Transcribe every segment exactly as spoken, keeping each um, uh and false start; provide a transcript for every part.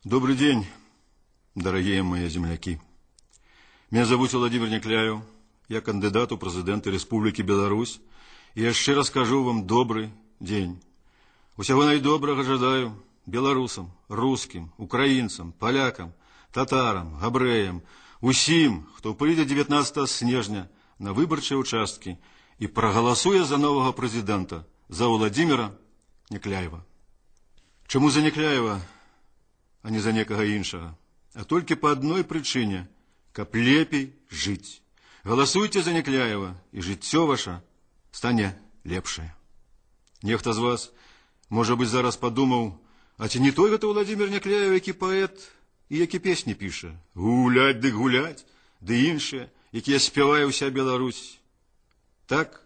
Добрый день, дорогие мои земляки. Меня зовут Владимир Некляев, я кандидат у президента Республики Беларусь, и я ще раз кажу вам добрый день. Усього найдоброго жадаю белорусам, русским, украинцам, полякам, татарам, габреям, усім, хто прийде дев'ятнадцятого снежня на виборчі участки і проголосує за нового президента, за Владимира Некляева. Чому за Некляева, а не за некого іншого? А тільки по одной причине, каб лепей жить. Голосуйте за Некляева, і життя ваше стане лепшее. Нехта з вас, може бути, зараз подумав, а ці не той гэта Владимир Некляев, який поет і які песні пише? Гулять ды гулять, ды іншыя, якія спявае ўся Беларусь. Так,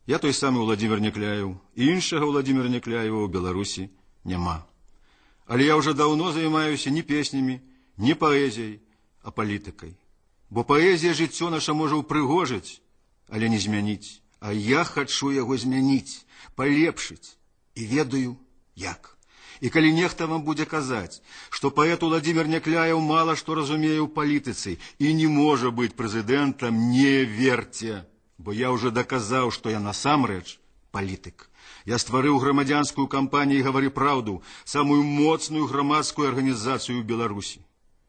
я той самый Владимир Некляев, іншага Владимира Некляева ў Беларусі няма. Але я уже давно займаюся не песнямі, не паэзіяй, а палітыкай. Бо паэзія жыццё наша можа ўпрыгожыць, але не змяніць. А я хачу яго змяніць, палепшыць. І ведаю, як. І калі нехта вам будзе казаць, што паэт Владимир Некляев мала што разумее ў палітыцы і не можа быць прэзідэнтам, не верце. Бо я уже доказаў, што я насамрэч палітык. Я стварыў грамадзянскую кампанію «Гавары праўду», самую моцную грамадскую арганізацыю ў Беларусі.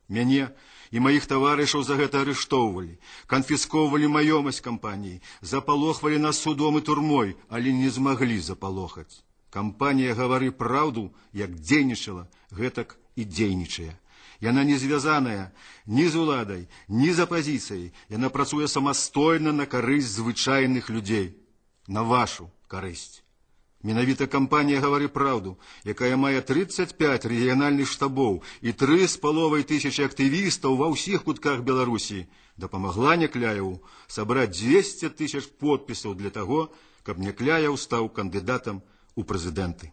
Мяне і маіх таварышаў за гэта арыштоўвалі, канфіскоўвалі маёмасць кампаніі, запалохвалі нас судом і турмой, але не змаглі запалохаць. Кампанія «Гавары праўду» як дзейнічала, гэтак і дзейнічае. Яна не звязаная ні з уладай, ні з апазіцыяй. Яна працуе самастойна на карысць звычайных людзей, на вашу карысць. Менавіта кампанія «Гавары праўду», якая мае тридцать пять рэгіянальных штабоў і тры з паловай тысячи актывістаў ва ўсіх кутках Беларусі, дапамагла Некляеву сабраць двести тысяч подпісаў для таго, каб Некляев стаў кандыдатам у прэзідэнты.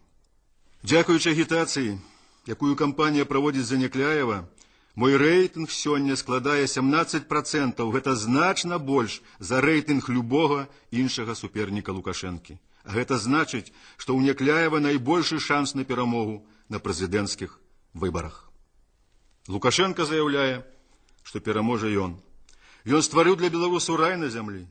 Дзякуючы агітацыі, якую кампанія праводзіць за Некляева, мой рэйтынг сёння складае семнадцать процентов. Гэта значна больш за рэйтынг любога іншага суперніка Лукашэнкі. А гэта значыць, што ў Некляева найбольшы шанс на перамогу на прэзідэнцкіх выбарах. Лукашенко заяўляе, што пераможа ён. Ён стварыў для беларусаў рай на зямлі.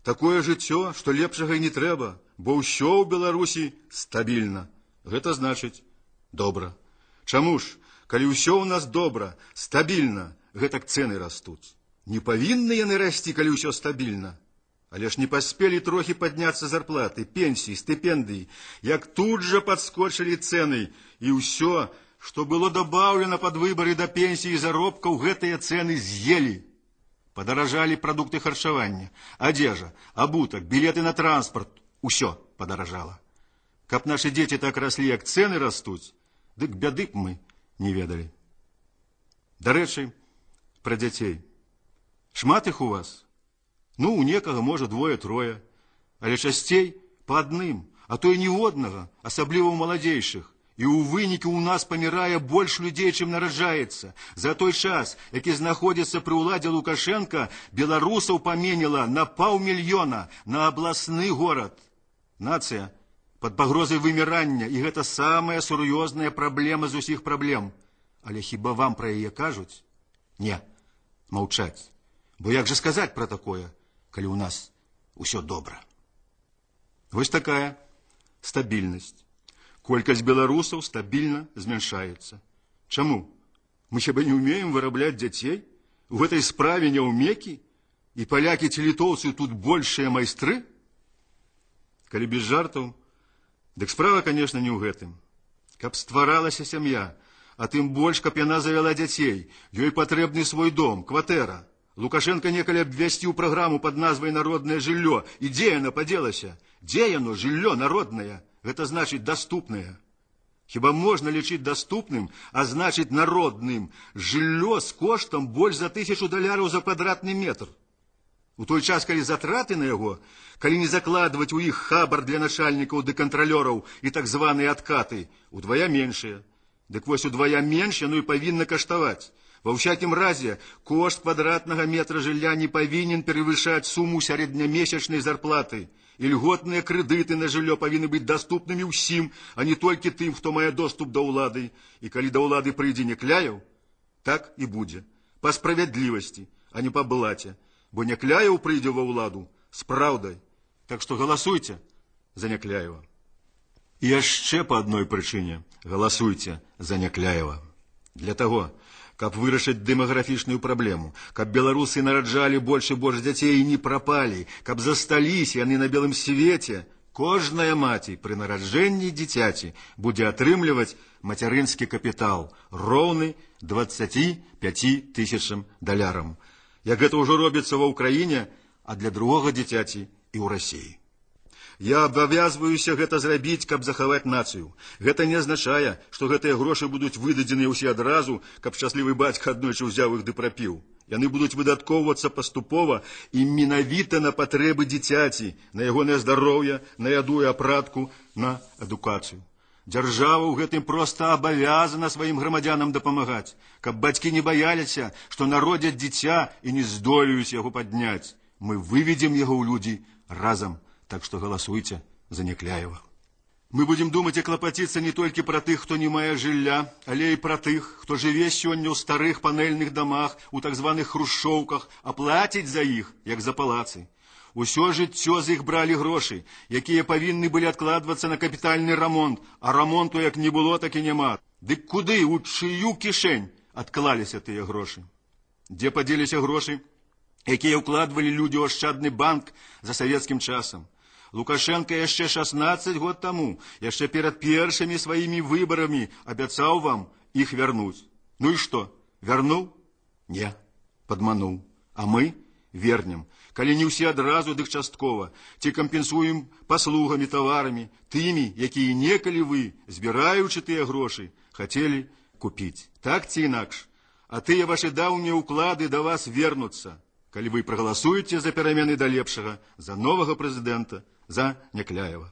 Такое жыццё, што лепшага і не трэба, бо ўсё ў Беларусі стабільна. Гэта значыць добра. Чаму ж, калі ўсё ў нас добра, стабільна, гэтак цэны растуць? Не павінны яны расці, калі ўсё стабільна. Але ж не паспелі трохі падняцца зарплаты, пенсіі, стыпендыі, як тут жа падскочылі цэны, і ўсё, што было дабаўлена пад выбары да пенсіі і заробкаў, гэтыя цэны з'елі. Падаражалі прадукты харчавання, адзежа, абутак, білеты на транспарт, усё падаражала. Каб нашы дзеці так раслі, як цэны растуць, дык бяды б мы не ведалі. Дарэчы, пра дзяцей. Шмат іх у вас? Ну, у некага, можа, двое-трое, але часцей па адным, а то і ніводнага, асабліва ў маладзейшых. І ў выніку ў нас памірае больш людзей, чым нараджаецца. За той час, які знаходзіцца пры ўладзе Лукашенка, беларусаў паменела на паўмільёна на абласны горад. Нацыя пад пагрозай вымірання, і гэта самая сур'ёзная праблема з усіх праблем. Але хіба вам пра яе кажуць? Не, маўчаць. Бо як жа сказаць пра такое, калі ў нас усё добра? Вось такая стабільнасць. Колькасць беларусаў стабільна змяншаецца. Чаму? Мы хіба не ўмеем вырабляць дзяцей? У гэтай справе няўмекі? І палякі ці літоўцы тут большыя майстры? Калі без жартаў, дык справа, конечно, не ў гэтым. Каб стваралася сям'я, а тым больш, каб яна завяла дзяцей, ёй патрэбны свой дом, кватэра. Лукашенко некалі абвясціў праграму пад назвай «Народнае жыллё». І дзе яно падзелася? Дзе яно, жыллё народнае? Гэта значыць даступнае. Хіба можна лічыць даступным, а значыць народным, жыллё з коштам больш за тысячу даляраў за квадратны метр? У той час, калі затраты на яго, калі не закладваць у іх хабар для начальнікаў ды кантралёраў і так званыя адкаты, удвая меншыя. Дык вось удвая менш яно і павінна каштаваць. Во всякім разе, кошт квадратнага метра жылля не павінен перавышаць суму сярэднямесячнай зарплаты. і льготныя крэдыты на жыллё павінны быць даступнымі ўсім, а не толькі тым, хто мае доступ да ўлады. І калі да ўлады прыйдзе Някляеў, так і будзе. Па справядлівасці, а не па блаце. Бо Някляеў прыйдзе ва ўладу з праўдай. Так што галасуйце за Някляева. І яшчэ па адной прычыне галасуйце за Някляева. Для таго, каб вырашыць дэмаграфічную праблему, каб беларусы нараджалі больш і больш дзяцей і не прапалі, каб засталіся яны на белым свеце, кожная маці пры нараджэнні дзіцяці будзе атрымліваць мацярынскі капітал, роўны дваццаці пяці тысячам далярам. Як гэта ўжо робіцца ва ўкраіне, а для другога дзіцяці і ў Расіі. Я абавязваюся гэта зрабіць, каб захаваць нацыю. Гэта не азначае, што гэтыя грошы будуць выдадзеныя ўсе адразу, каб шчаслівы бацька аднойчы ўзяў іх ды прапіў. Яны будуць выдаткоўвацца паступова і менавіта на патрэбы дзіцяці, на ягонае здароўе, на яду і апратку, на адукацыю. Дзяржава ў гэтым проста абавязана сваім грамадзянам дапамагаць, каб бацькі не баяліся, што народзяць дзіця і не здолеюць яго падняць. Мы выведзем яго ў людзі разам. Так што галасуйце за Някляева. Мы будзем думаць і клапаціцца не толькі пра тых, хто не мае жылля, але і пра тых, хто жыве сёння ў старых панэльных дамах, у так званых хрушчоўках, а плаціць за іх, як за палацы. Усё жыццё з іх бралі грошы, якія павінны былі адкладвацца на капітальны рамонт, а рамонту як не было, так і няма. Дык куды, у чыю кішэнь адклаліся тыя грошы? Дзе падзеліся грошы, якія ўкладвалі людзі ў ашчадны банк за савецкім часам? Лукашенко яшчэ шаснаццаць год таму, яшчэ перад першымі сваімі выбарамі абяцаў вам іх вярнуць. Ну і што, вярнуў? Не, падмануў. А мы вернем. Калі не ўсе адразу, дык часткова. Ці кампенсуем паслугамі, таварамі, тымі, якія некалі вы, збіраючы тыя грошы, хацелі купіць. Так ці інакш. А тыя вашы даўнія ўклады да вас вернуцца, калі вы прагаласуеце за перамены да лепшага, за новага прэзідэнта, за Някляева.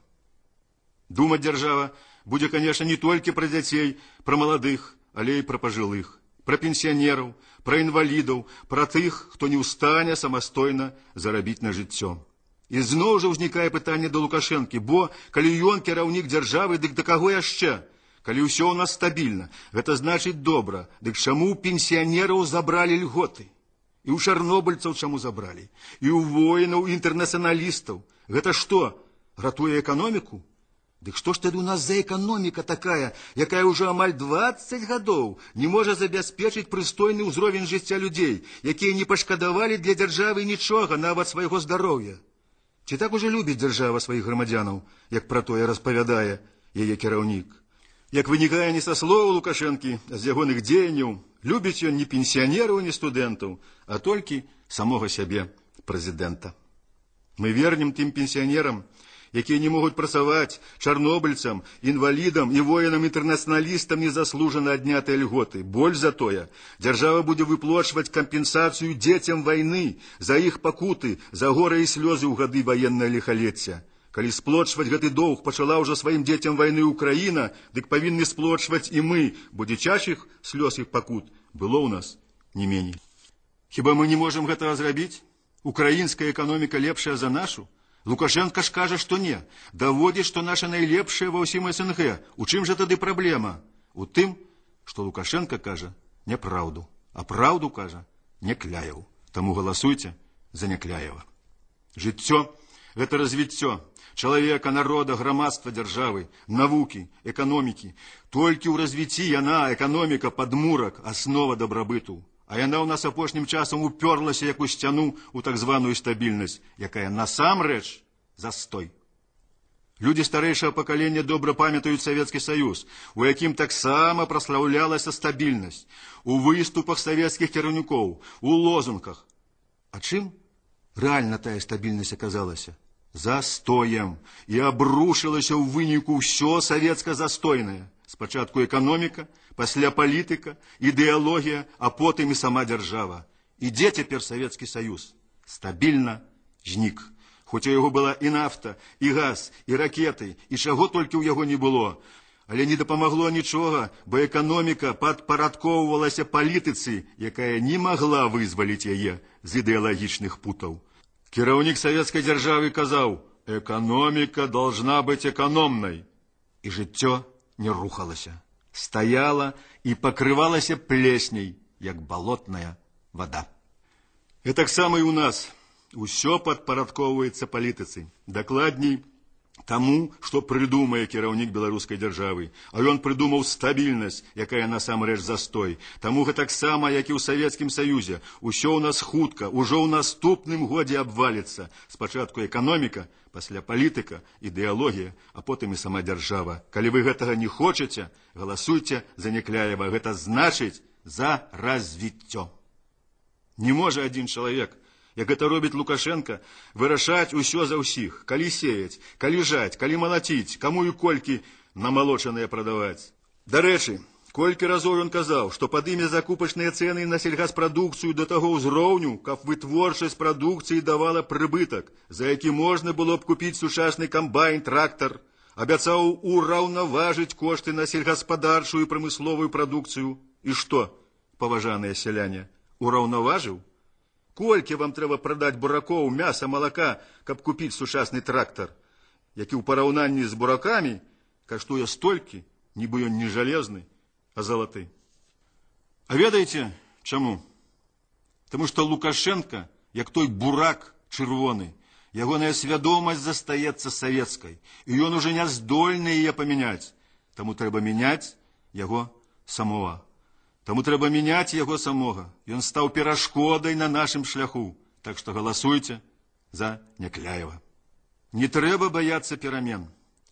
Думаць дзяржава будзе, канешне, не толькі пра дзяцей, пра маладых, але і пра пажылых, пра пенсіянераў, пра інвалідаў, пра тых, хто не ў стане самастойна зарабіць на жыццё. І зноў жа ўзнікае пытанне да Лукашэнкі, бо калі ён кіраўнік дзяржавы, дык да каго яшчэ? Калі ўсё ў нас стабільна, гэта значыць добра, дык чаму пенсіянераў забралі льготы? І ў чарнобыльцаў чаму забралі? І ў воінаў, і інтэрнацыяналістаў. Гэта што, ратуе эканоміку? Дык што ж тады у нас за эканоміка такая, якая ўжо амаль дваццаць гадоў не можа забяспечыць прыстойны ўзровень жыцця людзей, якія не пашкадавалі для дзяржавы нічога, нават свайго здароўя? Ці так ужо любіць дзяржава сваіх грамадзянаў, як пра тое распавядае яе кіраўнік? Як вынікае не са слоў Лукашэнкі, а з ягоных дзеянняў, любіць ён не пенсіянераў, не студэнтаў, а толькі самога сябе, прэзідэнта. Мы вернем тым пенсіянерам, якія не могуць працаваць, чарнобыльцам, інвалідам і воінам-інтэрнацыяналістам незаслужана аднятыя льготы. Больш за тое, дзяржава будзе выплачваць кампенсацыю дзецям вайны за іх пакуты, за гора і слёзы ў гады ваеннае ліхалецця. Калі сплочваць гэты доўг пачала ўжо сваім дзецям вайны Украіна, дык павінны сплочваць і мы, бо дзіцячых слёз іх пакут было ў нас не меней. Хіба мы не можам гэтага зрабіць? Украінская эканоміка лепшая за нашу? Лукашенко ж кажа, што не. Даводзіць, што наша найлепшая ва ўсім эс эн гэ. У чым жа тады праблема? У тым, што Лукашенко кажа няпраўду, а праўду кажа Някляеў. Таму галасуйце за Някляева. Жыццё – гэта развіццё чалавека, народа, грамадства, дзяржавы, навукі, эканомікі. Толькі ў развіцці яна, эканоміка, падмурак, аснова дабрабыту. А яна ў нас апошнім часам уперлася як у сцяну ў так званую стабільнасць, якая насамрэч застой. Людзі старэйшага пакалення добра памятаюць Савецкі Саюз, у якім таксама праслаўлялася стабільнасць, у выступах савецкіх кіраўнікоў, у лозунгах. А чым рэальна тая стабільнасць аказалася? Застоем. І абрушылася ў выніку ўсё савецка-застойнае. Спачатку эканоміка, пасля палітыка, ідэалогія, а потым і сама дзяржава. І дзе цяпер Савецкі Саюз? Стабільна знік. Хоць у яго была і нафта, і газ, і ракеты, і чаго толькі ў яго не было. Але не дапамагло нічога, бо эканоміка падпарадкоўвалася палітыцы, якая не магла вызваліць яе з ідэалагічных путаў. Кіраўнік савецкай дзяржавы казаў: экономика должна быть экономной. И жыццё не рухалася, стаяла и покрывалася плесней, як болотная вода. И так само и у нас. Усё падпарадкоўваецца палітыцы. Дакладней, таму, што прыдумае кіраўнік беларускай дзяржавы. А ён прыдумаў стабільнасць, якая насамрэч застой. Таму гэтаксама, як і ў Савецкім Саюзе, усё ў нас хутка, ужо ў наступным годзе абваліцца. Спачатку эканоміка, пасля палітыка, ідэалогія, а потым і сама дзяржава. Калі вы гэтага не хочаце, галасуйце за Някляева. Гэта значыць за развіццё. Не можа адзін чалавек, як гэта робіць Лукашенко, вырашаць усё за ўсіх, калі сеяць, калі жаць, калі малаціць, каму і колькі намалочаныя прадаваць. Дарэчы, колькі разоў ён казаў, што падыме закупачныя цэны на сельгаспрадукцыю да таго ўзроўню, каб вытворчасць прадукцыі давала прыбытак, за які можна было б купіць сучасны камбайн, трактар, абяцаў ураўнаважыць кошты на сельгаспадарчую і прамысловую прадукцыю. І што, паважаныя сяляне, ураўнаважыў? Колькі вам трэба прадаць буракоў, мяса, малака, каб купіць сучасны трактар, які ў параўнанні з буракамі каштуе столькі, нібы ён не жалезны, а залаты. А ведаеце, чаму? Таму што Лукашенко, як той бурак чырвоны, ягоная свядомасць застаецца савецкай, і ён уже не здольны яе памяняць. Таму трэба мяняць яго самого. Таму трэба мяняць яго самога. Ён стаў перашкодай на нашым шляху. Так што галасуйце за Някляева. Не трэба баяцца перамен.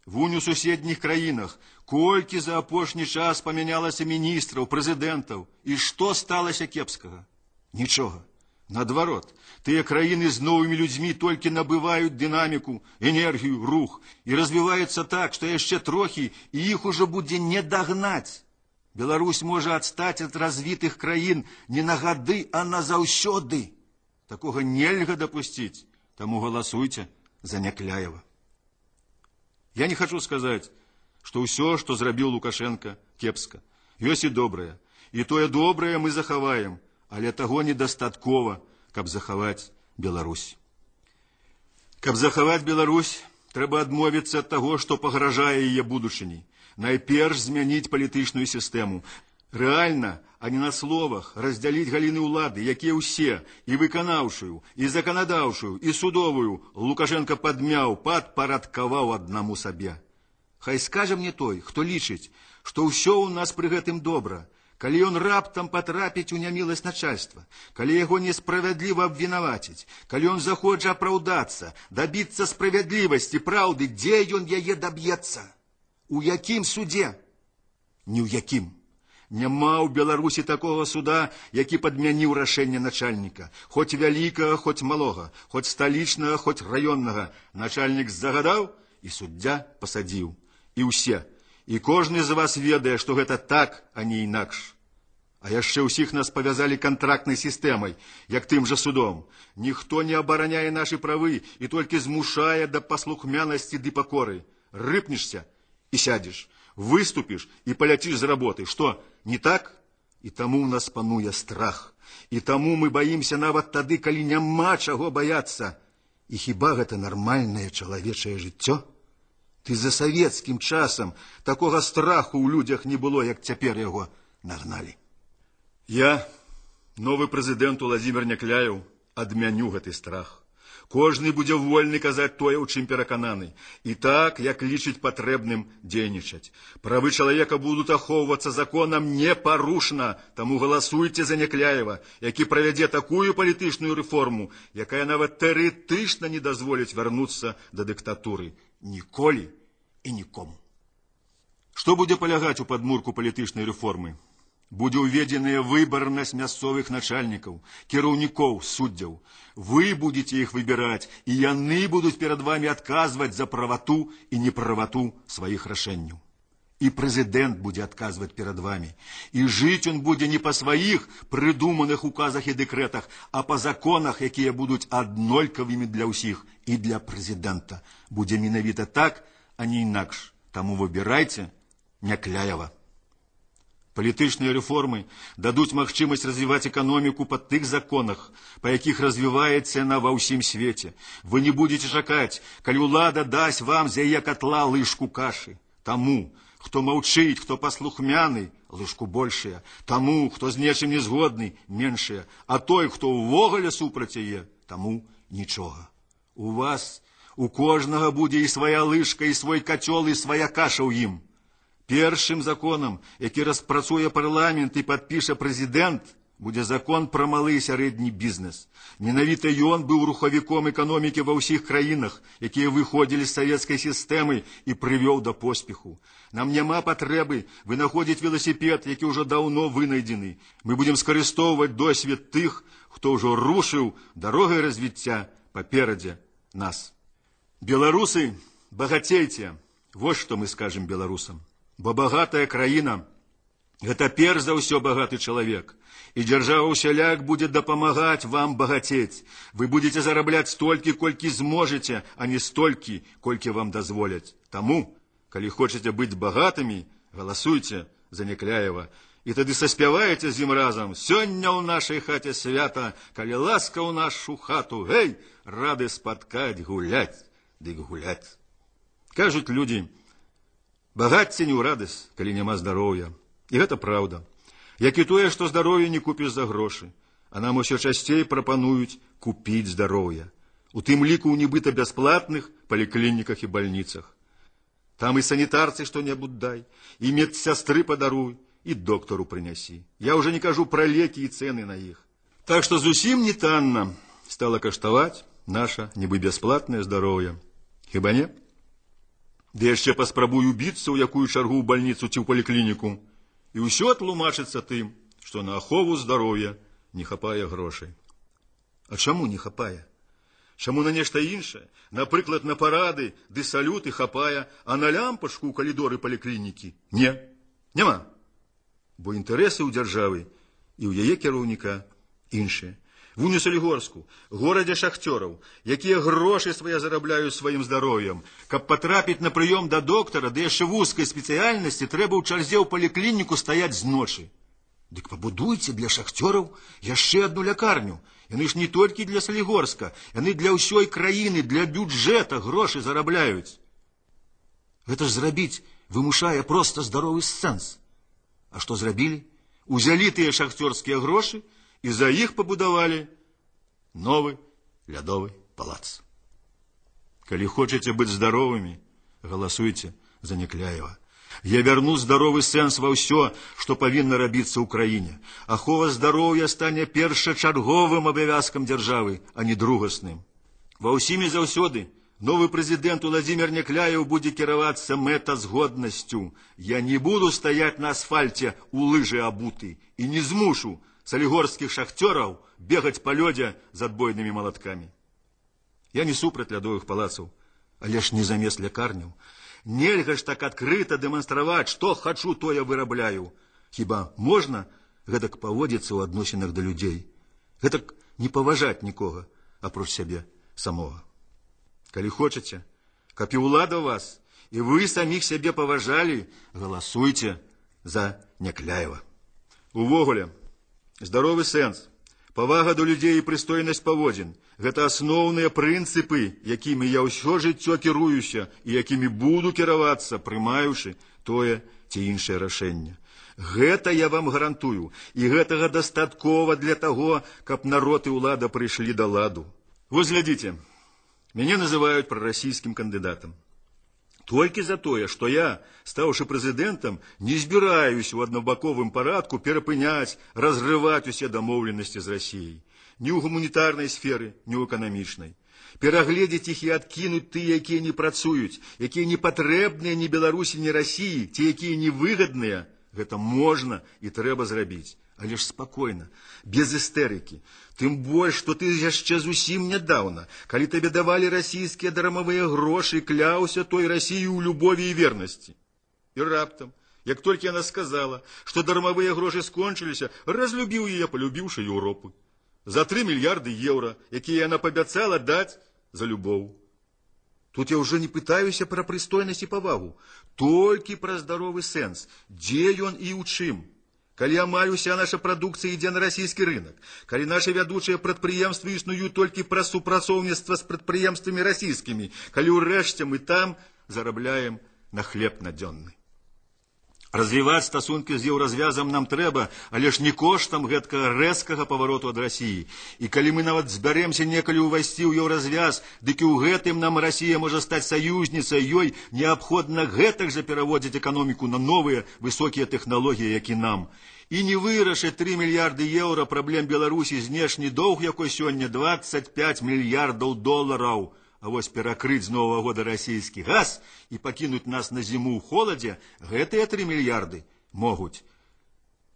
Вунь у суседніх краінах колькі за апошні час памянялася міністраў, прэзідэнтаў. І што сталася кепскага? Нічога. Наадварот, тыя краіны з новымі людзьмі толькі набываюць дынаміку, энергію, рух і развіваюцца так, што яшчэ трохі і іх ужо будзе не дагнаць. Беларусь можа адстаць ад развітых краін не на гады, а назаўсёды. Такога нельга дапусціць, таму галасуйце за Някляева. Я не хочу сказаць, што ўсё, што зрабіў Лукашенко, кепска. Ёсць і добрае. І тое добрае мы захаваем, але таго недастаткова, каб захаваць Беларусь. Каб захаваць Беларусь, трэба адмовіцца ад таго, што пагражае яе будучыні. Найперш змяніць палітычную сістэму. Рэальна, а не на словах, раздзяліць галіны ўлады, якія ўсе, і выканаўшую, і заканадаўшую, і судовую, Лукашенко падмяў, падпарадкаваў аднаму сабе. Хай скажа мне той, хто лічыць, што ўсё ў нас пры гэтым добра, калі ён раптам патрапіць у няміласць начальства, калі яго несправядліва абвінаваціць, калі ён захоча апраўдацца, дабіцца справядлівасці, праўды, дзе ён яе даб'ецца? У якім судзе? Ні ў якім. Няма ў Беларусі такога суда, які падмяніў рашэнне начальніка. Хоць вялікага, хоць малога, хоць сталічнага, хоць раённага. Начальнік загадаў, і суддзя пасадзіў. І ўсе. І кожны з вас ведае, што гэта так, а не інакш. А яшчэ ўсіх нас павязалі кантрактнай сістэмай, як тым жа судом. Ніхто не абараняе нашы правы і толькі змушае да паслухмянасці ды пакоры. Рыпнешся і сядзеш, выступіш і паляціш з работы. Што, не так? І таму ў нас пануе страх. І таму мы баімся нават тады, калі няма чаго баяцца. І хіба гэта нармальнае чалавечае жыццё? Ты за савецкім часам такога страху ў людзях не было, як цяпер яго нагналі. Я, новы прэзідэнт Уладзімір Някляеў, адмяню гэты страх. Кожны будзе вольны казаць тое, у чым перакананы. І так, як лічыць патрэбным дзейнічаць. Правы чалавека будуць ахоўвацца законам непарушна, таму галасуйце за Някляева, які правядзе такую палітычную рэформу, якая нават тэарэтычна не дазволіць вярнуцца да дыктатуры. Ніколі і нікому. Што будзе палягаць у падмурку палітычнай рэформы? Будзе ўведзеная выбарнасць мясцовых начальнікаў, кіраўнікоў, суддзяў. Вы будете іх выбіраць, і яны будуць перад вами адказваць за правату і неправату сваіх рашэнняў. І прэзідэнт будзе адказваць перад вами. І жыць ён будзе не па сваіх прыдуманых указах і дэкрэтах, а па законах, якія будуць аднолькавымі для ўсіх. І для прэзідэнта. Будзе менавіта так, а не інакш. Таму выбірайце Някляева. Палітычныя рэформы дадуць магчымасць развіваць эканоміку па тых законах, па якіх развіваецца яна ва ўсім свеце. Вы не будете чакаць, калі ўлада дасць вам з яе катла лыжку кашы. Таму, хто маўчыць, хто паслухмяны, лыжку большая. Таму, хто з нечым не згодны, меншая. А той, хто ўвогуле супраць яе, таму нічога. У вас, у кожнага будзе і свая лыжка, і свой кацёл, і свая каша ў ім. Першым законам, які распрацуе парламент і падпіша прэзідэнт, будзе закон пра малы і сярэдні бізнес. Менавіта ён быў рухавіком эканомікі ва ўсіх краінах, якія выходзілі з савецкай сістэмы і прывёў да поспеху. Нам няма патрэбы вынаходзіць веласіпед, які ўжо даўно вынайдзены. Мы будзем скарыстоўваць досвед тых, хто ўжо рушыў дарогай развіцця паперадзе нас. Беларусы, багацейце, вось што мы скажем беларусам. Бо багатая краіна – гэта перш за ўсё багаты чалавек. І дзяржава ўсяляк будзе дапамагаць вам багацець. Вы будете зарабляць столькі, колькі зможаце, а не столькі, колькі вам дазволяць. Таму, калі хочаце быць багатымі, галасуйце за Някляева. І тады саспяваеце з ім разам. Сёння ў нашай хаце свята, калі ласка ў нашу хату, гэй, рады спаткаць, гуляць, дык гуляць. Кажуць людзі, багацце не ў радасць, калі няма здароўя. І гэта праўда. Як і тое, што здароўе не купіш за грошы. А нам усё часцей прапануюць купіць здароўе. У тым ліку ў нібыта бясплатных паліклініках і бальніцах. Там і санітарцы што-небудзь дай, і медсястры падаруй, і доктару прынясі. Я ўжо не кажу пра лекі і цэны на іх. Так што зусім не танна стала каштаваць наша нібы бясплатнае здароўе. Хіба не? Ды яшчэ паспрабую біцца ў якую чаргу ў бальніцу ці ў паліклініку. І ўсё тлумачыцца тым, што на ахову здароўя не хапае грошай. А чаму не хапае? Чаму на нешта іншае? Напрыклад, на парады ды салюты хапае, а на лямпачку ў калідоры паліклінікі? Не, няма. Бо інтарэсы ў дзяржавы і ў яе кіраўніка іншыя. Вунь у Салігорску, горадзе шахцёраў, якія грошы свае зарабляюць сваім здароўем. Каб патрапіць на прыём да доктара, ды яшчэ вузкай спецыяльнасці, трэба ў чарзе ў паліклініку стаяць з ночы. Дык пабудуйце для шахцёраў яшчэ адну лякарню. Яны ж не толькі для Салігорска, яны для ўсёй краіны, для бюджэта грошы зарабляюць. Гэта ж зрабіць вымушае проста здаровы сэнс. А што зрабілі? Узялі тыя шахцёрскія грошы і за іх пабудавалі новы лядовы палац. Калі хочаце быць здаровымі, галасуйце за Някляева. Я вярну здаровы сэнс ва ўсё, што павінна рабіцца ў краіне. Ахова здароўя стане першачарговым абавязкам дзяржавы, а не другасным. Ва ўсім і заўсёды новы прэзідэнт Уладзімір Някляеў будзе кіравацца мэтазгоднасцю. Я не буду стаяць на асфальце у лыжы абуты і не змушу салігорскіх шахцёраў бегаць па лёдзе з адбойнымі малаткамі. Я не супраць лядовых палацаў, але ж не замест лякарняў. Нельга ж так адкрыта дэманстраваць, што хачу, тое вырабляю. Хіба можна гэтак паводзіцца ў адносінах да людзей? Гэтак не паважаць нікога, апроч сябе самога. Калі хочаце, каб і ўлада вас, і вы саміх сябе паважалі, галасуйце за Някляева. Увогуле, здаровы сэнс, павага да людзей і прыстойнасць паводзін – гэта асноўныя прынцыпы, якімі я ўсё жыццё кіруюся і якімі буду кіравацца, прымаючы тое ці іншае рашэнне. Гэта я вам гарантую, і гэтага дастаткова для таго, каб народ і ўлада прыйшлі да ладу. Вось глядзіце, мяне называюць прарасійскім кандыдатам. Толькі за тое, што я, стаўшы прэзідэнтам, не збіраюсь у аднабаковым парадку перапыняць, разрываць усе дамоўленасці з Расіяй. Ні ў гуманітарнай сферы, ні ў эканамічнай. Перагледзець іх і адкінуць тыя, якія не працуюць, якія не патрэбныя ні Беларусі, ні Расіі, ці якія невыгадныя, гэта можна і трэба зрабіць. Але ж спакойна, без істэрыкі. Тым больш, што ты яшчэ зусім нядаўна, калі табе давалі расійскія дармавыя грошы, кляўся той Расіі ў любові і вернасці. І раптам, як толькі яна сказала, што дармавыя грошы скончыліся, разлюбіў яе, палюбіўшы Еўропу. За тры мільярды еўра, якія яна пабяцала даць за любоў. Тут я ўжо не пытаюся пра прыстойнасць і павагу, толькі пра здаровы сэнс, дзе ён і ў чым. калі амаль уся наша прадукцыя ідзе на расійскі рынок, калі нашы вядучыя прадпрыемствы існуюць толькі праз супрацоўніцтва з прадпрыемствамі расійскімі, калі ўрэшце мы там зарабляем на хлеб надзённы. Развіваць стасункі з еўразвязам нам трэба, але ж не коштам гэткага рэзкага павароту ад Расіі. І калі мы нават збяремся некалі ўвайсці ў еўразвяз, дык і ў гэтым нам Расія можа стаць саюзніцай, ёй неабходна гэтак жа пераводзіць эканоміку на новыя высокія тэхналогіі, як і нам. І не вырашыць тры мільярды еўра праблем Беларусі знешні доўг, якой сёння дваццаць пяць мільярдаў долараў. А вось перакрыць з Новага года расійскі газ і пакінуць нас на зіму ў холадзе, гэтыя тры мільярды могуць,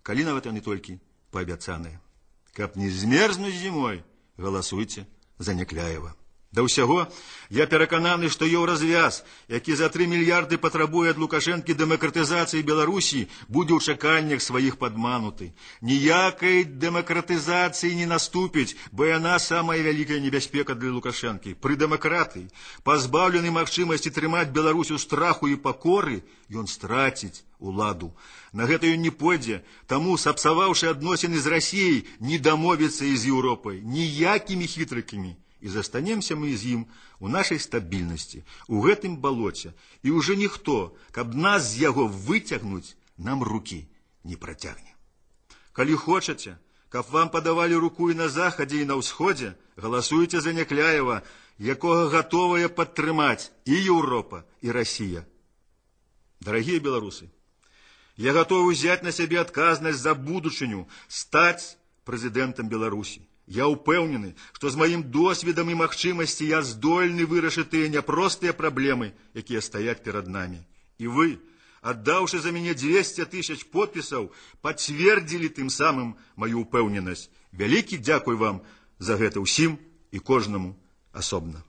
калі нават яны толькі паабяцаныя. Каб не змерзнуць зімой, галасуйце за Някляева. Да ўсяго, я перакананы, што еўразвяз, які за тры мільярды патрабуе ад Лукашэнкі дэмакратызацыі Беларусі, будзе ў чаканнях сваіх падмануты. Ніякай дэмакратызацыі не наступіць, бо яна самая вялікая небяспека для Лукашэнкі. Пры дэмакратыі, пазбаўлены магчымасці трымаць Беларусь у страху і пакоры, ён страціць уладу. На гэта ён не пойдзе, таму, сапсаваўшы адносіны з Расіяй, не дамовіцца і з Еўропай ніякімі хітрыкамі. І застанемся мы з ім у нашай стабільнасці, у гэтым балоце, і ўжо ніхто, каб нас з яго выцягнуць, нам рукі не працягне. Калі хочаце, каб вам падавалі руку і на захадзе, і на ўсходзе, галасуйце за Някляева, якога гатовая падтрымаць і Еўропа, і Расія. Дарагія беларусы, я гатовы ўзяць на сябе адказнасць за будучыню, стаць прэзідэнтам Беларусі. Я ўпэўнены, што з маім досведам і магчымасці я здольны вырашыць тыя няпростыя праблемы, якія стаяць перад намі. І вы, аддаўшы за мяне дзвесце тысяч подпісаў, пацвердзілі тым самым маю ўпэўненасць. Вялікі дзякуй вам за гэта ўсім і кожнаму асобна.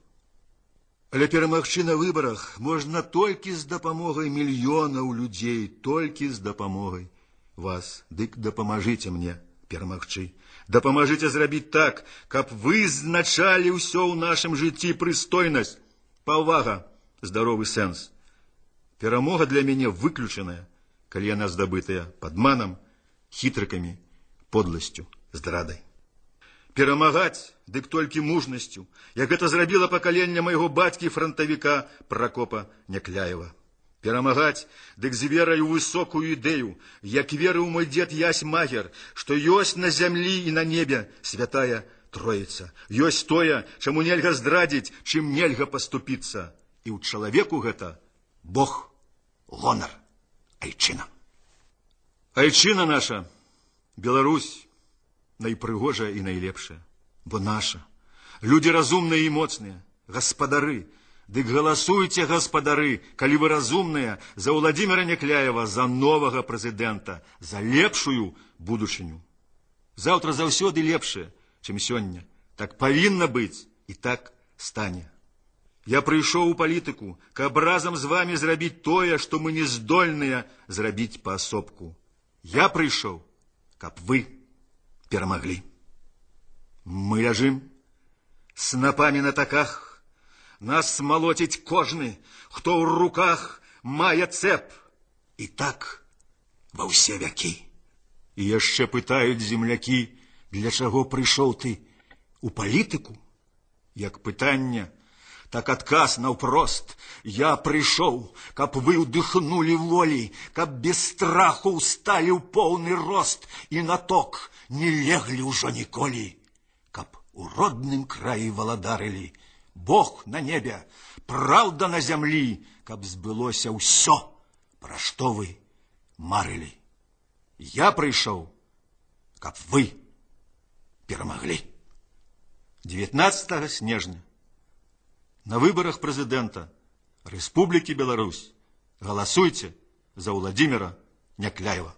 Але перамагчы на выбарах можна толькі з дапамогай мільёнаў людзей, толькі з дапамогай вас. Дык дапамажыце мне перамагчы. Дапамажыце зрабіць так, каб вызначалі ўсё ў нашым жыцці прыстойнасць, павага, здаровы сэнс. Перамога для мяне выключаная, калі яна здабытая падманам, хітрыкамі, подласцю, здрадай. Перамагаць, дык толькі мужнасцю, як гэта зрабіла пакаленне майго бацькі-франтавіка Пракопа Някляева. Перамагаць, дык з верай у высокую ідэю, як верыў мой дзед Ясь Магер, што ёсць на зямлі і на небе святая Троіца. Ёсць тое, чаму нельга здрадзіць, чым нельга паступіцца. І ў чалавеку гэта Бог, гонар, айчына. Айчына наша, Беларусь, найпрыгожая і найлепшая, бо наша. Людзі разумныя і моцныя, гаспадары. Дык галасуйце, гаспадары, калі вы разумныя, за Владимира Някляева, за новага прэзідэнта, за лепшую будучыню. Заўтра заўсёды лепшае, чым сёння. Так павінна быць і так стане. Я прыйшоў у палітыку, каб разам з вамі зрабіць тое, што мы не здольныя зрабіць паасобку. Я прыйшоў, каб вы перамаглі. Мы ляжым снапамі на таках, нас смалоціць кожны, хто ў руках мае цэп. І так ва ўсе вякі. І яшчэ пытаюць землякі, для чаго прыйшоў ты у палітыку? Як пытанне, так адказ наўпрост. Я прыйшоў, каб вы ўдыхнулі волі, каб без страху ўсталі ў поўны рост і на ток не леглі ўжо ніколі, каб у родным краі валадарылі Бог на небе, праўда на зямлі, каб збылося ўсё, пра што вы марылі. Я прыйшоў, каб вы перамаглі. дзевятнаццатага снежня на выбарах прэзідэнта Рэспублікі Беларусь галасуйце за Владимира Някляева.